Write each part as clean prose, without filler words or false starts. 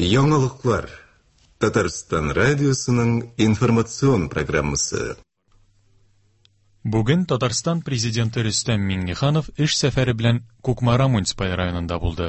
Яңалыклар. Татарстан радиосының информацион программасы. Бүген Татарстан Президенты Рөстәм Миңнеханов эш сәфәре белән Кукмара муниципаль районында булды.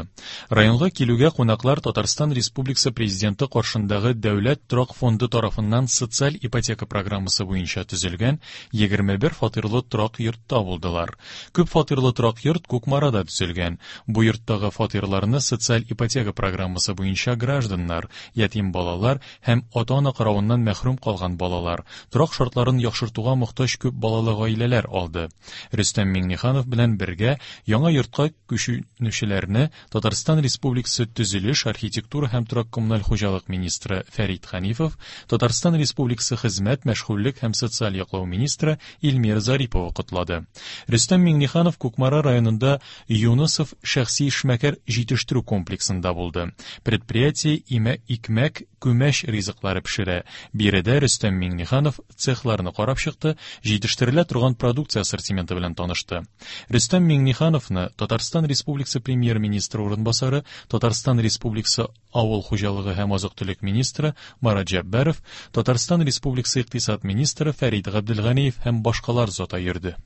Районга килүгә кунаклар Татарстан Республикасы Президенты каршындагы Дәүләт торак фонды тарафыннан социаль ипотека программасы буенча төзелгән 21 фатирлы торак йортта булдылар. Күп фатирлы торак йорт Кукмарада төзелгән. Бу йорттагы фатирларны социаль ипотека программасы буенча гражданнар, ятим балалар һәм ата-ана каравыннан мәхрүм калган балалар, торак шартларын яхшыртуга мохтаҗ күп балалы гаиләләр алды. Рөстәм Миңнеханов белән бергә яңа йортка күченүчеләрне Татарстан Республикасы төзелеш, архитектура һәм торак-коммуналь хуҗалык министры Фәрит Хәнифов, Татарстан Республикасы хезмәт, мәшгульлек һәм социаль яклау министры Эльмира Зарипова котлады. Рөстәм Миңнеханов Кукмара районында Юнысов шәхси эшмәкәр җитештерү комплексында булды. Предприятие имә икмәк, күмәч ризыклары пешерә. Биредә Рөстәм Миңнеханов цехларны карап чыкты, җитештерелә торган продукция ассортименты белән танышты. Рөстәм Миңнехановны Татарстан Республикасы премьер-министры урынбасары, Татарстан Республикасы авыл хуҗалыгы һәм азык-төлек министры Марат Җәббаров, Татарстан Республикасы икътисад министры Фәрит Габделганиев һәм башкалар зата йөрде.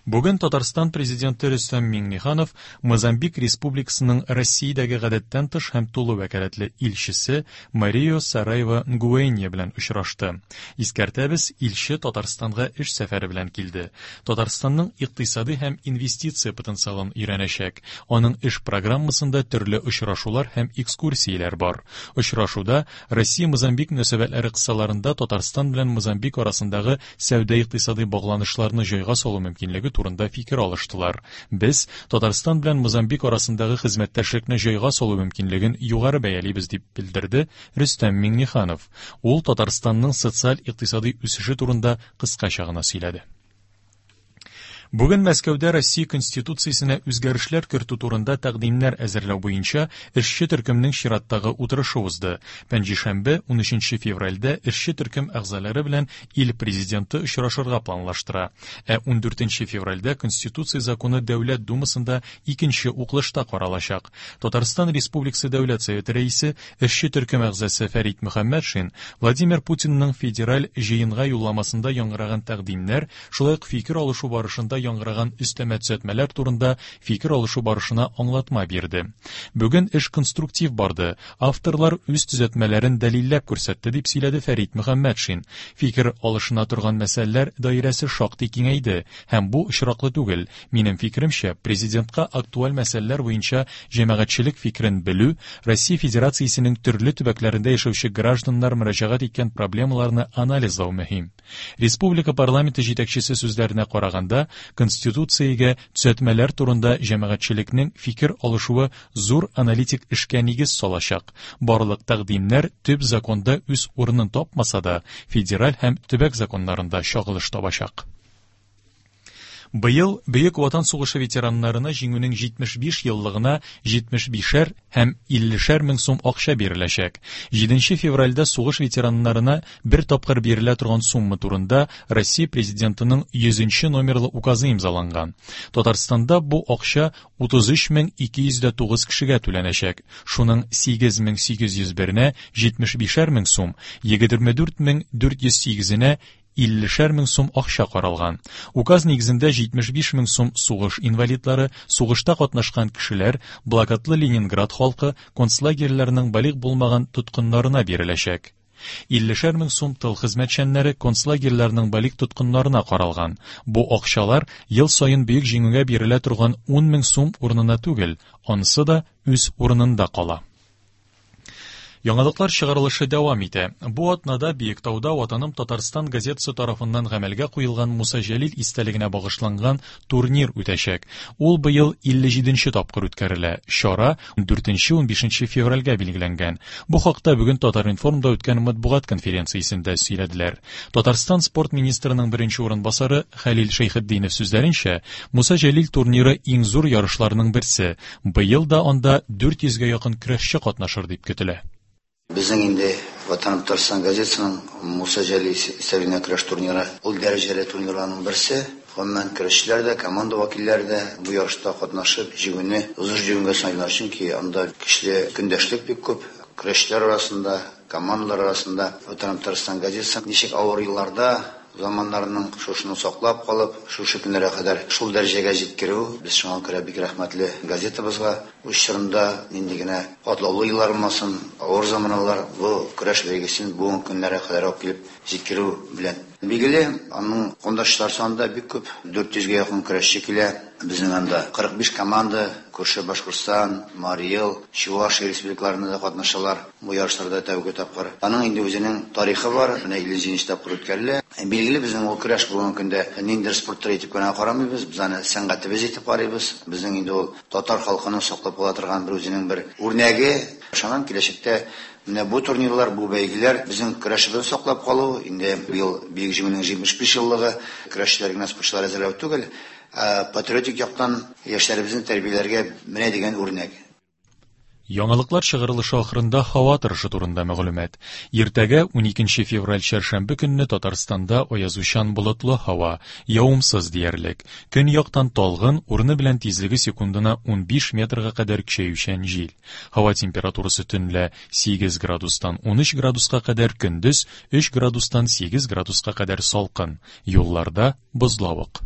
Бүген Татарстан Президенты Рөстәм Миңнеханов Мозамбик Республикасының Россиядәге гадәттән тыш һәм тулы вәкаләтле илчесе Марио Сараева Нгуэнья белән очрашты. Искәртәбез, илче Татарстанга эш сәфәре белән килде. Татарстанның икътисади һәм инвестиция потенциалын өйрәнәчәк. Аның эш программасында төрле очрашулар һәм экскурсияләр бар. Очрашуда Россия-Мозамбик мөнәсәбәтләре кысаларында Татарстан белән Мозамбик арасындагы сәүдә-икътисадый багланышларны җайга салу мөмкинлеге турында фикер алыштылар. Без Татарстан белән Мозамбик арасындагы хезмәттәшлекне җайга салу мөмкинлеген югары бәялибез, дип белдерде Рөстәм Миңнеханов. Ул Татарстанның социаль-икътисадый үсеше турында кыскача гына сөйләде. Бүген Мәскәүдә Россия Конституциясенә үзгәрешләр кертү турында тәкъдимнәр әзерләү буенча эшче төркемнең чираттагы утырышы узды. Пәнҗешәмбе, 13 февральдә эшче төркем әгъзалары белән ил президенты очрашырга планлаштыра. Ә 14 февральдә Конституция законы Дәүләт Думасында икенче укылышта каралачак. Татарстан Республикасы Дәүләт Советы рәисе, эшче төркем әгъзасы Фәрит Мөхәммәтшин Владимир Путинның федераль җыенга юлламасында яңгыраган тәкъдимнәр, шулай ук фикер алышу барышында яңгыраган өстәмә төзәтмәләр турында фикер алышу барышына аңлатма бирде. Бүген эш конструктив барды, авторлар үз төзәтмәләрен дәлилләп күрсәтте, дип сөйләде Фәрит Мөхәммәтшин. Фикер алышына торган мәсьәләләр даирәсе шактый киңәйде һәм бу очраклы түгел. Минем фикеремчә, президентка актуаль мәсьәләләр буенча җәмәгатьчелек фикерен белү, Россия Федерациясенең төрле төбәкләрендә яшәүче гражданнар мөрәҗәгать иткән проблемаларны анализлау мөһим. Республика парламенты җитәкчесе сүзләренә караганда, Конституциягә төзәтмәләр турында җәмәгатьчелекнең фикер алышуы зур аналитик эшкә нигез салачак. Барлык тәкъдимнәр төп законда үз урынын тапмаса да, федераль һәм төбәк законнарында чагылыш табачак. Быел Бөек Ватан сугышы ветераннарына җиңүнең 75 еллыгына 75-шәр һәм 50-шәр мең сум акча биреләчәк. 7 февральдә сугыш ветераннарына бер тапкыр бирелә торган сумма турында Россия Президентының 100 номерлы указы имзаланган. Татарстанда бу акча 33 209 кешегә түләнәчәк. Шуның 8801-нә 75-шәр мең сум, 24 408-енә 50-шәр мең сум акча каралган. Указ нигезендә 75 мең сум сугыш инвалидлары, сугышта катнашкан кешеләр, блокадлы Ленинград халкы, концлагерьләрнең балигъ булмаган тоткыннарына биреләчәк. 50-шәр мең сум тыл хезмәтчәннәре концлагерьләрнең балигъ тоткыннарына каралган. Бу акчалар ел саен Бөек Җиңүгә бирелә торган 10 мең сум урынына түгел, анысы да үз урынында кала. Яңалыклар чыгарылышы дәвам итә. Бу атнада Биектауда Ватаным Татарстан газетасы тарафыннан гамәлгә куелган Муса Җәлил истәлегенә багышланган турнир үтәчәк. Ул быел 57 тапкыр үткәрелә. Чара 4-15 февральгә билгеләнгән. Бу хакта бүген Татар-информда үткән матбугат конференциясендә сөйләделәр. Татарстан спорт министрының беренче урынбасары Хәлил Шәйхетдинов сүзләренчә, Муса Җәлил турниры иң зур ярышларның берсе. Быел да анда 400гә якын көрәшче катнашыр дип көтелә. Безнең инде Ватаным Татарстан газетасының Муса Җәлил истәлегенә көрәш турниры ул дәрәҗәле турнирларның берсе. Гомумән, көрәшчеләр дә, команда вәкилләре дә бу ярышта катнашып, җиңүне зур җиңүгә саныйлар, чөнки анда көчле көндәшлек бик күп. Көрәшчеләр арасында, командалар арасында Ватаным Татарстан газетасы ничек авыр елларда заманнарының шушыны саклап калып, шушы көннәргә кадәр шул дәрәҗәгә җиткерү, без шуңа күрә бик рәхмәтле газетабызга. Үз чорында нинди генә катлаулы еллар булмасын, авыр заманалар, бу көрәш бәйгесен бүгенге көннәргә кадәр алып килеп җиткерү белән. Билгеле, аның кондашлар саны да бик күп, 400гә якын көрәшче килә. Безнең анда 45 команда, күрше Башкортстан, Марий Эл, Чувашия республикаларында да катнашалар бу ярышларда тәүге тапкыр. Аның инде үзенең тарихы бар, менә 57 тапкыр үткәрелә. Билгеле, безнең ул көрәш бүгенге көндә ниндидер спорт төре итеп кенә карамыйбыз, без аны сәнгатебез итеп карыйбыз. Безнең инде ул татар халкының саклап кала торган бер үзенең бер үрнәге. Ышанам, киләчәктә менә бу турнирлар, бу бәйгеләр безнең көрәшебезне саклап калу, инде быел Бөек Җиңүнең 75 еллыгы, көрәшчеләр генә, спортчылар әзерләү түгел, ә патриотик яктан яшьләребезне тәрбияләргә менә дигән үрнәк. Яңалыклар чыгарылышы ахырында һава торышы турында мәгълүмат. Иртәгә 12 февраль чәршәмбе көнне Татарстанда аязучан болытлы һава, явымсыз диярлек. Көньяктан талгын, урыны белән тизлеге секундына 15 метрга кадәр көчәючән җил. Һава температурасы төнлә 8 градустан 13 градуска кадәр, көндез 3 градустан 8 градуска кадәр салкын. Юлларда бозлавык.